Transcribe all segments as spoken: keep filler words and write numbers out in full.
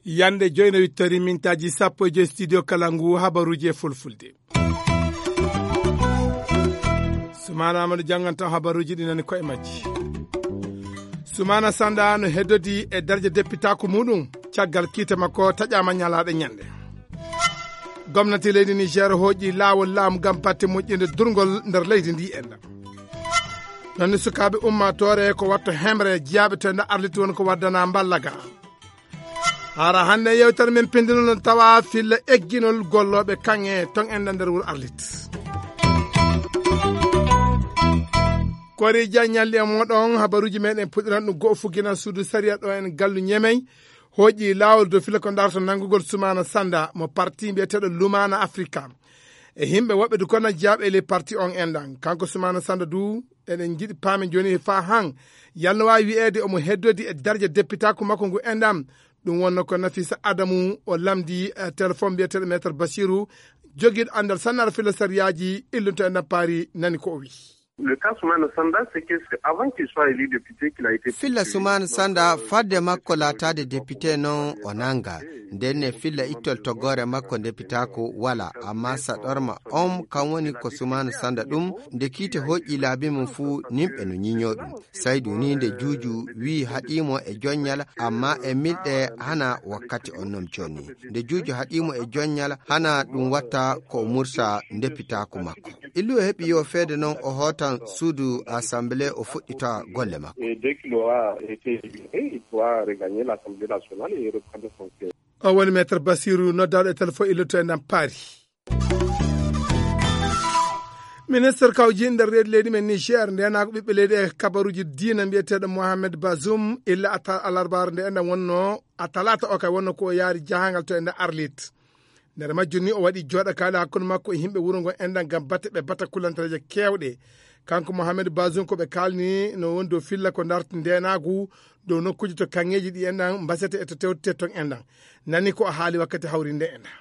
Yande joyno wittori mintaaji sappo e joy studio kala ngu habaruuji e fulfulde. Sumaana Amadou jannganta habaruuji ɗi nani koye majji. Sumaana Sanda no heddodi e darja deppitaaku muɗum caggal kiite makko taƴaama ñalaaɗe ñande. Gomnati leydi Niger hooƴi laawol laamu ngam batte moƴƴinde durngol nder leydi ndi enɗam. Nonne sukaaɓe ummaatoore ko watto hemre jiyaaɓe to enda arliti won ko waddana mballaga. Hara hannde yewtere men pindinol no tawa filla egginol gollooɓe kaŋŋe ton enda nder wuro arlit. Kori jaññalli e moɗon habaruuji meɗen puɗɗiran ɗum go'o fugina suudu sariya ɗo en gallu ñemey. Hooƴi laawol dow fila ko darto nanngugol Sumaana Sanda mo parti mbiyeteeɗo Lumaana Afrika. E yimɓe woɓɓe du kono jaaɓe le parti on enɗan. Kanko Sumaana Sanda du eɗen njiɗi paamen jooni fa han. Yalno waawi wi'eede omo heddodi e darja deppitaaku makko ngu enɗan. Ɗum wonno ko Nafisa Adamu o lamdi, eh, téléphone mbiyeteeɗo Maître Basiru jogiiɗo anndal sannar fila sariyaaji illunto enɗan paari nani ko o wi. Le cas Soumana Sanda, c'est que c'est avant qu'il soit élu député qu'il a été filla poursuivi. Sumana Sanda fadde makko laataade député noon o nannga. Ndenne filla ittol toggoore makko ndepitaako wala, amma saɗorma on kan woni ko Sumana Sanda ɗum. Nde kiite hoƴƴi laabi mum fuu nimɓe no ñiñoo ɗum. Saydu ni nde juuju wii haɗiimo e joññal, amma e milɗe hana wakkati on noon jooni. Nde juuju haɗiimo e joññal hana ɗum watta ko o mursa ndepitaako makko. Illu e heɓi yo feede noon o hootan suudu assemblée o fuɗɗita golle makko. Et dès qu'il aura été libéré, il pourra regagner l'Assemblée nationale et reprendre son siège. O woni Maître Basiru noddaaɗo e téléphone illuto e ndam paari. Ministre kawji nder reedu leydi men Niger, ndenaako ɓiɓɓe leydi e kabaruuji diina mbiyeteeɗo Mohamed Bazoum, illa ata alarbaare nde enɗan wonno, a talaata o kay wonno ko o yaari jahangal to e nder Arlit. Nder majjum ni o waɗi jooɗakaade hakkunde makko e yimɓe wuro ngo enɗan ngam batte ɓe batta kulantareeje keewɗe. Kanko Mohamed Bazoum ko ɓe kaalni no woni dow filla ko darti ndenaagu dow nokkuuji to kaŋŋeeji ɗi enɗan mbasete e to tewtete ton enɗan. Nani ko o haali wakkati hawrinde enɗan.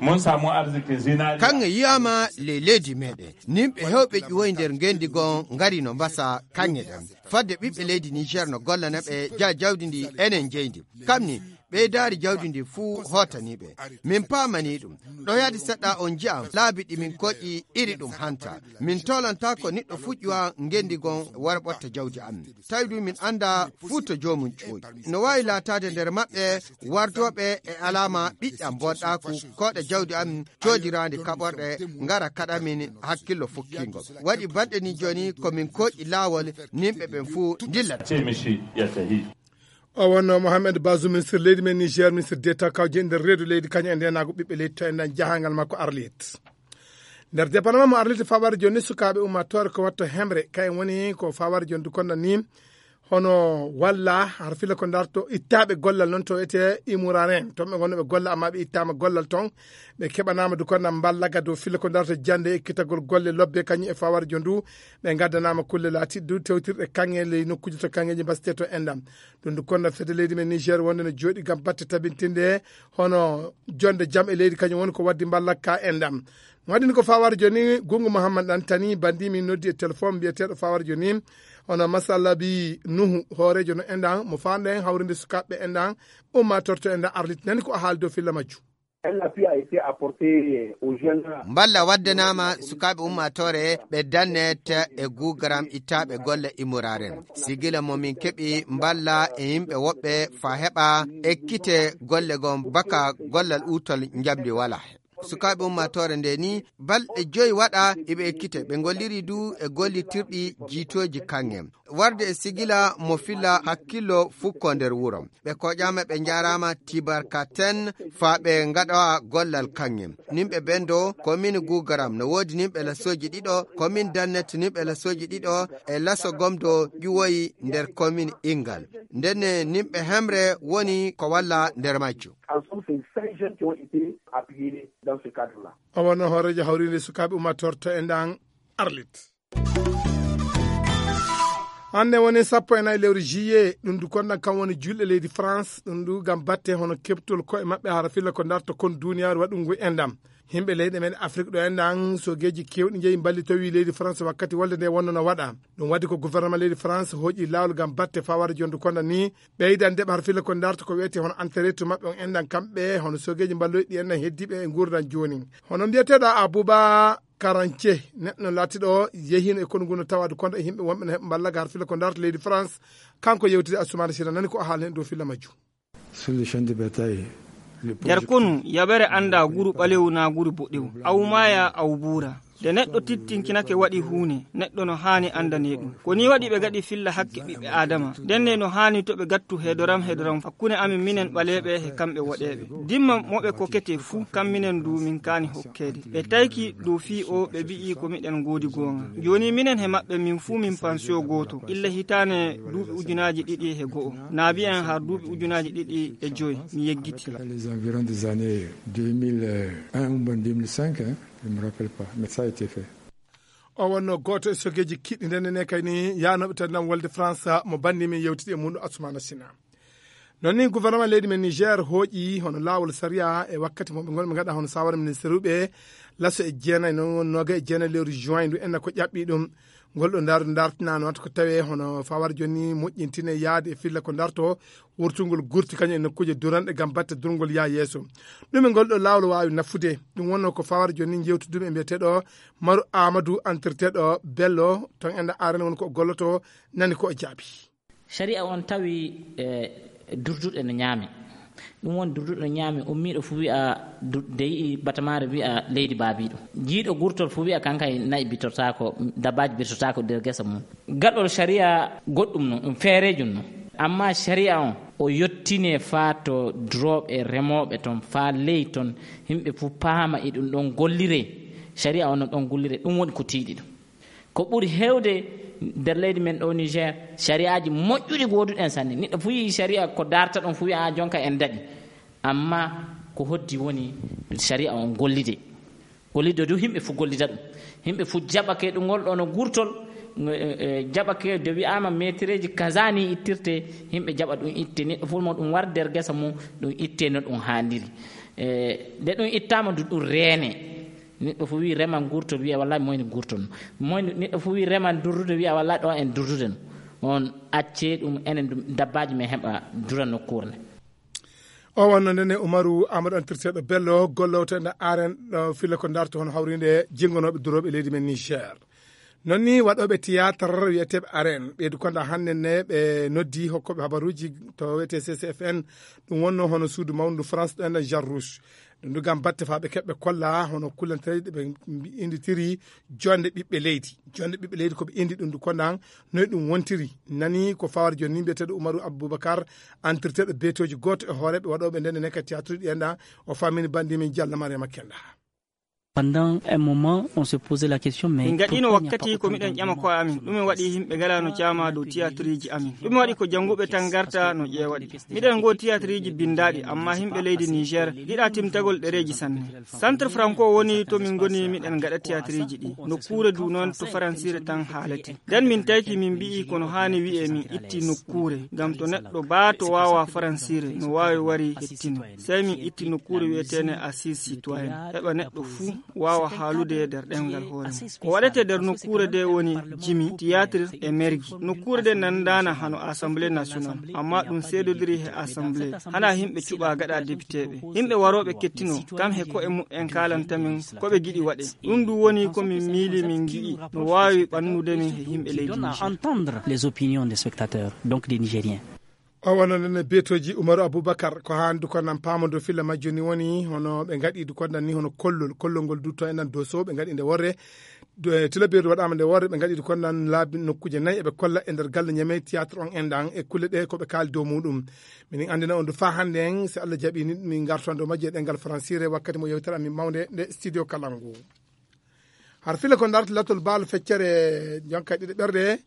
Mun samu arziki zinariya. Kaŋŋe yiyaama ley leydi meɗen. Nimɓe hewɓe ƴuwoy nder ngendi gon ngari no mbasa kaŋŋe ɗen. Fadde ɓiɓɓe leydi Niger no gollana ɓe ja jawdi ndi enen jeyndi. Kam ni ɓeydaari jawdi ndi fuu hootanii ɓe. Min paamanii ɗum. Ɗo yaadi seɗɗa on nji'an laabi ɗi min koƴƴi iri ɗum hanta. Min tolanta ko niɗɗo fuƴƴuwa ngendi gon wara ɓotta jawdi am. Tawi du min annda fuu to joomum ƴooƴi. No waawi laataade nder maɓɓe wardooɓe e alaama ɓiɗɗam bonɗaaku kooɗa jawdi am coodiraandi kaɓorɗe ngara kaɗa min hakkillo fukkiingo. Waɗi balɗe ni jooni ko min kooƴi laawol nimɓe ɓen fuu ndillata. Cemishi ya tahi. O wonno Mohamed Bazoum, ministre leydi men Niger, ministre d'État kawje nder reedu leydi kañum e ndenaagu ɓiɓɓe leydi to enɗan jahangal makko Arlit. Nder département mo Arlit fawar jooni sukaaɓe ummaatoore ko watto hemre, kayen woni ko fawar jooni du konno ni. Hono walla har fila ko darto ittaaɓe gollal noon to ete Imuraren, toon ɓe ngonno ɓe golla, amma ɓe ittaama gollal toon. Ɓe keɓanaama du konno mballaga dow fila ko darto jannde e ekkitagol golle lobbe kañum e fawar jooni du. Ɓe ngaddanaama kulle laatiiɗe du tewtirɗe kaŋŋe ley nokkuuji to kaŋŋeeji mbasete to enɗam. Ɗum du konno fedde leydi men Niger wonde no jooɗi ngam batte tabintinde hono jonde jam e leydi kañum woni ko waddi mballakka enɗam. Mo waɗi ni ko fawar jooni Gungu Muhammad Antani bandi min noddi e téléphone mbiyeteeɗo fawar jooni hono Masalabi Nuhu hooreejo no enɗan mo faanɗen hawrinde sukaaɓe enɗan ummatorto enɗan Arlit nani ko a haali dow filla majju. Un appui a été apporté aux jeunes. Mballa waddanaama sukaaɓe ummaatoore ɓe dannet e guugaram ittaaɓe golle immoraren. Sigila mo min keɓi mballa e yimɓe woɓɓe fa heɓa ekkite golle gon baka gollal uutol njamndi wala. Sukaaɓe ummaatoore nde ni balɗe joyi waɗa iɓe ekkite. Ɓe ngolliri du e gollitirɗi jiitooji kaŋŋe. Warde e sigila mo filla hakkillo fukko nder wuro. Ɓe koƴaama ɓe njaaraama tibarkaten faa ɓe ngaɗa gollal kaŋŋe. Nimɓe bendo komin guugaram no woodi nimɓe lasooji ɗiɗo, komin dannet nimɓe lasooji ɗiɗo e laso gomdo ƴuwoyi nder komin ingal. Ndenne nimɓe hemre woni ko walla nder majjo. Ensemble, c'est cinq jeunes qui ont été appuyés dans ce cadre-là. O wonno hooreejo hawriinde sukaaɓe ummatorto e ndan Arlit. Hannde woni sappo e nayi lewru juillet, ɗum du konɗan kam woni julɗe leydi France, ɗum du ngam batte hono keɓtol koye maɓɓe hara filla ko darta kon duniyaaru waɗungu enɗam. Yimɓe leyɗe men Afrik ɗo enɗan, sogeeji keewɗi njeyi mballitowi leydi France wakkati wolde nde wonno no waɗa. Ɗum waɗi ko gouvernement leydi France hooƴi laawol ngam batte fawade jondu konɗan ni, ɓeydande ɓe har filla ko darta ko wiyete hono entrée to maɓɓe on enɗan kamɓe, hono sogeeji mballoyɗi enɗan heddiiɓe e nguurdan jooni. Hono mbiyeteeɗo Abouba Karance, neɗɗo no laatiɗo yehiino e konu ngu no tawade konɗan e yimɓe wonɓe no heɓa mballaga har filla ko darta leydi France, kanko yewtide Assoumani Sira nani ko o haalni en dow filla majjum. Sur le champ de bataille, le nder konu, yaɓere annda guru ɓalewu na guru boɗewu. Awu maaya, awu buura. Nde neɗɗo tittinkinake waɗi huune, neɗɗo no haani anndane ɗum. Ko ni waɗi ɓe gaɗi filla hakke ɓiɓɓe Aadama. Ndenne no haani to ɓe gattu heedoram heedoram hakkunde amin minen ɓaleeɓe he kamɓe woɗeeɓe. Dimma mo ɓe kokete fuu, kam minen du min kaani hokkeede. Ɓe tayki dow fii o, ɓe mbi'i ko miɗen ngoodi goonga. Jooni minen he maɓɓe min fuu min pansiyo gooto. Illa hitaane duuɓi ujunaaji ɗiɗi he go'o. Naabi en har duuɓi ujunaaji ɗiɗi e joy, mi yeggiti. Les environs des années deux mille un ou bien deux mille cinq, hein, je me rappelle pas, mais ça a été fait. O wonno gooto e sogeeji kiɗɗi ndenne ne kay ni yaanooɓe tan nam wolde France mo banndi min yewtidi e muɗum Assoumana Sina. Noon ni gouvernement leydi men Niger hooƴi hono laawol sariya e wakkati mo ɓe ngonɓe ngaɗa hono sawara ministre uɓe laso e jeenayi, noon won nooga e jeenayi lewru juin ndu enna ko ƴaɓɓi ɗum. Ngol ɗo ndaaru dartinano wata ko tawe hono fawar jonni moƴƴintine yaade e filla ko darto wurtungol gurti kañum e nokkuuje duranɗe ngam batte durngol yaa yeeso. Ɗum e ngol ɗo laawol waawi nafude. Ɗum wonno ko fawar jonni jewtuduɓe mbiyeteeɗo Maru Amadou, entirteeɗo Bello ton enda arene woni ko o golloto, nani ko o jaabi. Shari'a on tawi, eh, durduɗe no ñaame. Ɗum woni durduɗe no ñaame, ummiiɗo fu wi'a du-, de yi'i batamaare wi'a leydi baabiiɗo. Jiiɗo gurtol fu wi'a kankay na'i bitortaako, dabbaaji birtotaako nder gesa mum. Gaɗol shari'a goɗɗum no, ɗum feerejum no. Amma shari'a on, o yottine faa to durooɓe remooɓe ton, faa ley ton, yimɓe fu paama e ɗum ɗon gollire. Shari'a on no ɗon gollire, ɗum woni ko tiiɗi ɗum. Ko ɓuri heewde nder leydi men ɗo Niger, shari'aaji moƴƴuɗi gooduɗen sanne. Neɗɗo fu yi'i shari'a ko darta ɗon fu wi'a, "Ah, jonka en daɗi." Amma ko hoddi woni shari'a on gollide. Gollide du yimɓe fu gollida ɗum. Yimɓe fu jaɓake ɗum ngol ɗo no gurtol, eh, eh, jaɓake de wi'aama meetireeji kaza ni ittirte, yimɓe jaɓa ɗum itte. Neɗɗo fu mo ɗum war nder gesa mum, ɗum itte no ɗum haandiri. Eh, nde ɗum ittaama du ɗum reene. Neɗɗo fu wi reman gurtol, wiya wallahi moyni gurtol. Moyni neɗɗo fu wi reman durdude, wiya wallahi ɗo en durdude no. On acce ɗum enen ɗum dabbaaji men heɓa dura nokkuure nde. O wonno ndene Umaru Amadou, entirteeɗo Bello, gollowto e nder aren ɗo filla ko darto hono hawrinde jenngonooɓe durooɓe leydi men Niger. Noon ni waɗooɓe théâtre wiyeteeɓe aren, ɓeydu konda hannde ne ɓe noddi hokkooɓe habaruuji to wiyetee C C F N, ɗum wonno hono suudu mawndu France ɗo ender Jean Rouge. Ɗum du ngam batte faa ɓe keɓɓe kolla hono kullantereeji ɗe ɓe mbi-, inditiri jonde ɓiɓɓe leydi. Jonde ɓiɓɓe leydi ko ɓe indi ɗum du kondan noy ɗum wontiri. Nani ko fawar jooni ni mbiyeteeɗo Umaru Abubakar, entirteeɗo beetooji gooto e hooreeɓe waɗooɓe ndenne ne ka théâtre ɗi enɗan, o famini banndi min Jalla Mariama Kenda. Pendant un moment, on se posait la question, mais min gaɗino pourquoi il n'y a pas wakkati ko autant miɗen ƴama ko amin ɗume waɗi yimɓe ngala no caama dow tiyatriji amin? Ɗume waɗi ko jannguɓe tan garta no ƴeewaɗi? Miɗen ngo tiyatriji bindaɗi, amma yimɓe leydi Niger yiɗa timtagol ɗereji sanne. Centre Franco woni to min ngoni miɗen ngaɗa tiyatriji ɗi. Nokkuure du noon to faransire tan haalete. Nden min tayki min mbi'i kono haani wi'e min itti nokkuure, ngam to neɗɗo baa to waawa faransire no waawi wari hettino. Sey min itti nokkuure wi'eteene Assise Citoyenne, heɓa neɗɗo fuu waawa haalude e nder ɗemngal hoore mum. Ko waɗete nder nokkuure nde woni jimi, tiyaatir e mergi. Nokkuure nde nanndaana hano Assemblée Nationale, amma ɗum seedodiri he Assemblée. Hana yimɓe cuɓa gaɗa depiteeɓe. Yimɓe warooɓe kettino, kam he ko'e muɓɓen kaalanta min ko ɓe giɗi waɗe. Ɗum ɗum woni ko min miili min ngi'i no waawi ɓannude min he yimɓe leydi Niger. Entendre les opinions des spectateurs, donc des Nigériens. O wonno nen beetoji Umaru Abubakar, ko haandu ko nan paamodo filla majjo ni woni hono ɓe ngaɗi du kondan ni hono kollol, kollol ngol du to enan Doso ɓe ngaɗi nde worre. Do, e, tilabeedu waɗaama nde worre, ɓe ngaɗi du kondan laabi nokkuuje nayi eɓe kolla e nder galle Ñamey théâtre on enɗan e kulle ɗe ko ɓe kaali dow muɗum. Minin anndina on du faa hannde en, si Allah jaɓi ni, min ngarton dow majje e ɗemngal faransire wakkati mo yewtere amin mawnde nde Studio Kalangu. Har fila ko darta latol baalo feccere jonka ɗiɗi ɓerde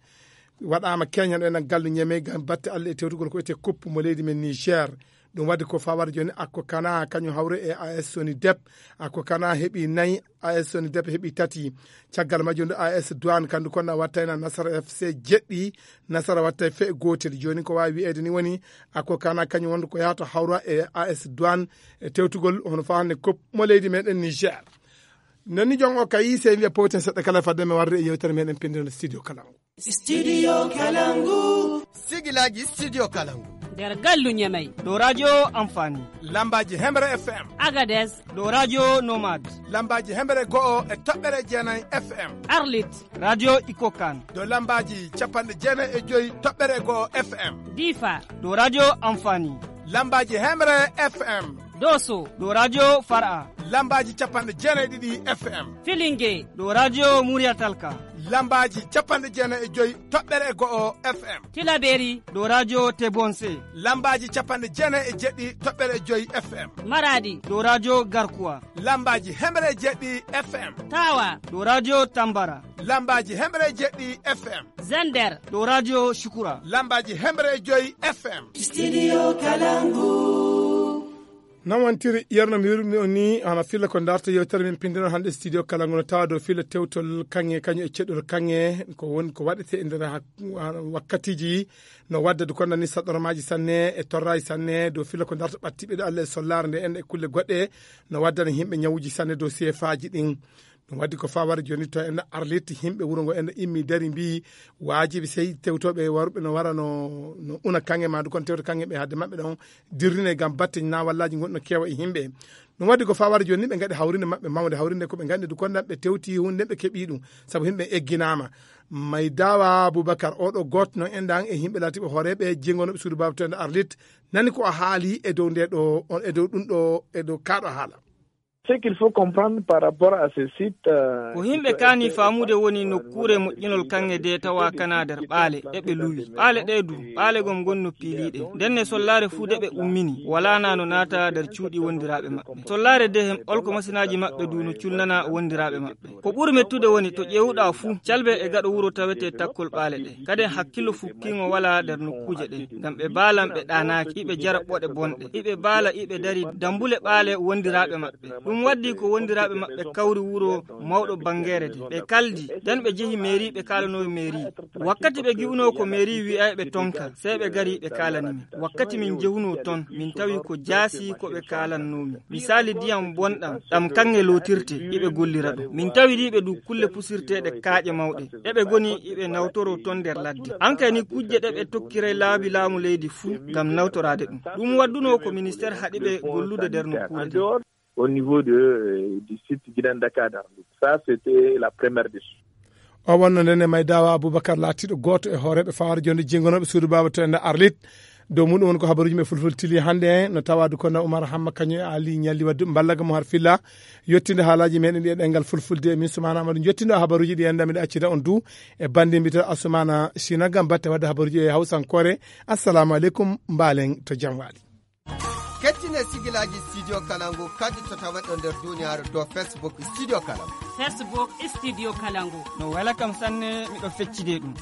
waɗaama Kenya ɗo enen gallu Ñamey ngam batte Allah e tewtugol ko wiyetee koppu mo leydi men Niger. Ɗum waɗi ko fawar jooni, Akko Kana kañum hawri e A S Soni Dep. Akko Kana heɓi nayi, A S Soni Dep heɓi tati. Caggal majjum ndu, A S Douane kandu konna wattayna Nasara F C jeɗɗi, Nasara wattay fe gootel. Jooni ko waawi wiyeede ni woni, Akko Kana kañum wondu ko yahata hawra e A S Douane e tewtugol hono faa hannde kop mo leydi meɗen Niger. Nani jon o kayi, sey wiya powten seɗɗa kala fadde mi warde e yewtere meɗen pinndere studio Kalangu. Studio Kalangu. Sigilaji Studio Kalangu. Nder gallu Ñamey. Ɗo radio Amfani. Lambaji Hemre F M. Agadez. Ɗo radio Nomad. Lambaji Hemre go'o e toɓɓere jeenay F M. Arlit. Radio Ikokan. Ɗo lambaji capanɗe jeenay e joyi toɓɓere go'o F M. Difa. Ɗo radio Amfani. Lambaji Hemre F M. Doso. Ɗo radio Far'a. Lambaji capanɗe jeenay ɗiɗi F M. Filinge. Ɗo radio Muriyatalka. Lambaji capanɗe jeenay e joyi toɓɓere e go'o F M. Tilaberi. Ɗo radio Tebonse. Lambaji capanɗe jeenay e jeɗɗi toɓɓere e joyi F M. Maradi. Ɗo radio Garkuwa. Lambaji hemre e jeɗɗi F M. Tawa. Ɗo radio Tambara. Lambaji hemre e jeɗɗi F M. Zender. Ɗo radio Shukura. Lambaji hemre e joyi F M. Studio Kalangu. Noon wontiri, yerno mi wirmi on ni, hana filla ko darta yewtere min pindino hannde studio Kalangu no tawa dow filla tewtol kaŋŋe, kañum e ceɗɗol kaŋŋe, ko woni ko waɗete e nder hak-, wakkatiji no waddade ko nani saɗɗormaaji sanne e torraaji sanne dow filla ko darta ɓattiɓe ɗo Allah e sollaare nde en e kulle goɗɗe no waddana yimɓe ñawuji sanne dow seefaaji ɗin. Ɗum waɗi ko fawar jooni to en Arlit, yimɓe wuro ngo en immi dari mbi waajibi sey tewtooɓe warɓe no wara no, no una kaŋŋe ma du kon tewta kaŋŋe ɓe hadde maɓɓe ɗon dirrine ngam batte nawallaji gon no kewa e yimɓe. Ɗum waɗi ko fawar jooni ɓe ngaɗi hawrinde maɓɓe mawde, hawrinde ko ɓe ngaɗi du kon ɓe tewti hunde ɓe keɓi ɗum sabu yimɓe egginaama. May dawa Abubakar oɗo goto no en ɗan e yimɓe laatiɓe hooreɓe jengonoɓe suudu Baba to en Arlit nani ko o haali e dow nde ɗo, e dow ɗum ɗo, e dow kaɗo haala. Ce qu'il faut comprendre par rapport à ce site, euh, ko yimɓe kaani faamude woni nokkuure moƴƴinol kaŋŋe de tawa kana nder ɓaale ɗe ɓe luwi. Ɓaale ɗe du, ɓaale gom gon no piiliiɗe. Nden ne sollaare fuu de ɓe ummini, walaa na no naata nder cuuɗi wondiraaɓe maɓɓe. Sollaare de hem olko masinaaji maɓɓe du no culnana wondiraaɓe maɓɓe. Ko ɓuri mettude woni to ƴeewuɗaa fuu, calbe e gaɗo wuro tawete takkol ɓaale ɗe. Kaden hakkillo fukkiŋo walaa nder nokkuuje ɗe. Ngam ɓe baalan ɓe ɗaanaaki, iɓe jara ɓoɗe bonɗe. Iɓe baala, iɓe dari dambule ɓaale wondiraaɓe maɓɓe. Ɗum waddi ko wondiraaɓe maɓɓe kawri wuro mawɗo bangeere de. Ɓe kaldi, nden ɓe jehi mairie, ɓe kaalanoo mairie. Wakkati ɓe gi'unoo ko mairie wi'ay ɓe tonka, sey ɓe gari ɓe kaalani min. Wakkati min jehunoo ton, min tawi ko jaasi ko ɓe kaalannoo min. Misaali diyam bonɗam, ɗam kaŋŋe lootirte, iɓe gollira ɗum. Min tawi ɗiɓe du kulle pusirteeɗe kaaƴe mawɗe. Eɓe goni iɓe nawtoroo ton nder ladde. Ankay ni kujje ɗe ɓe tokkiray laabi laamu leydi fuu ngam nawtoraade ɗum. Ɗum waddunoo ko ministeer haɗi ɓe gollude nder nokkuure nde. Au niveau de, euh, du site Guinée Dakar. Ça, c'était la première des choses. O wonno nden e Maydawa Abubakar laatiiɗo gooto e hooreeɓe fawar jonde jenngonooɓe suudu baaba to enda Arlit. Dow muɗum woni ko habaruuji men fulfulde tili hannde, no tawaadu kono Umar Hamma kañum e Ali Ñalli waddu mballaga mo har filla. Yettinde haalaaji meɗen ɗi e ɗengal fulfulde, min Sumaana Amadu. Yettindo habaruuji ɗi enda miɗo accida on du e bandi mbita Asumana Sina ngam batte wadde habaruuji e hawsankoore. Assalamu aleykum, mbaalen to jam waali. Kettine sigilaji Studio Kalangu kadi to tawaɗo nder duniyaaru dow Facebook Studio Kalangu. Facebook Studio Kalangu. No wela kam sanne, miɗo feccide ɗum.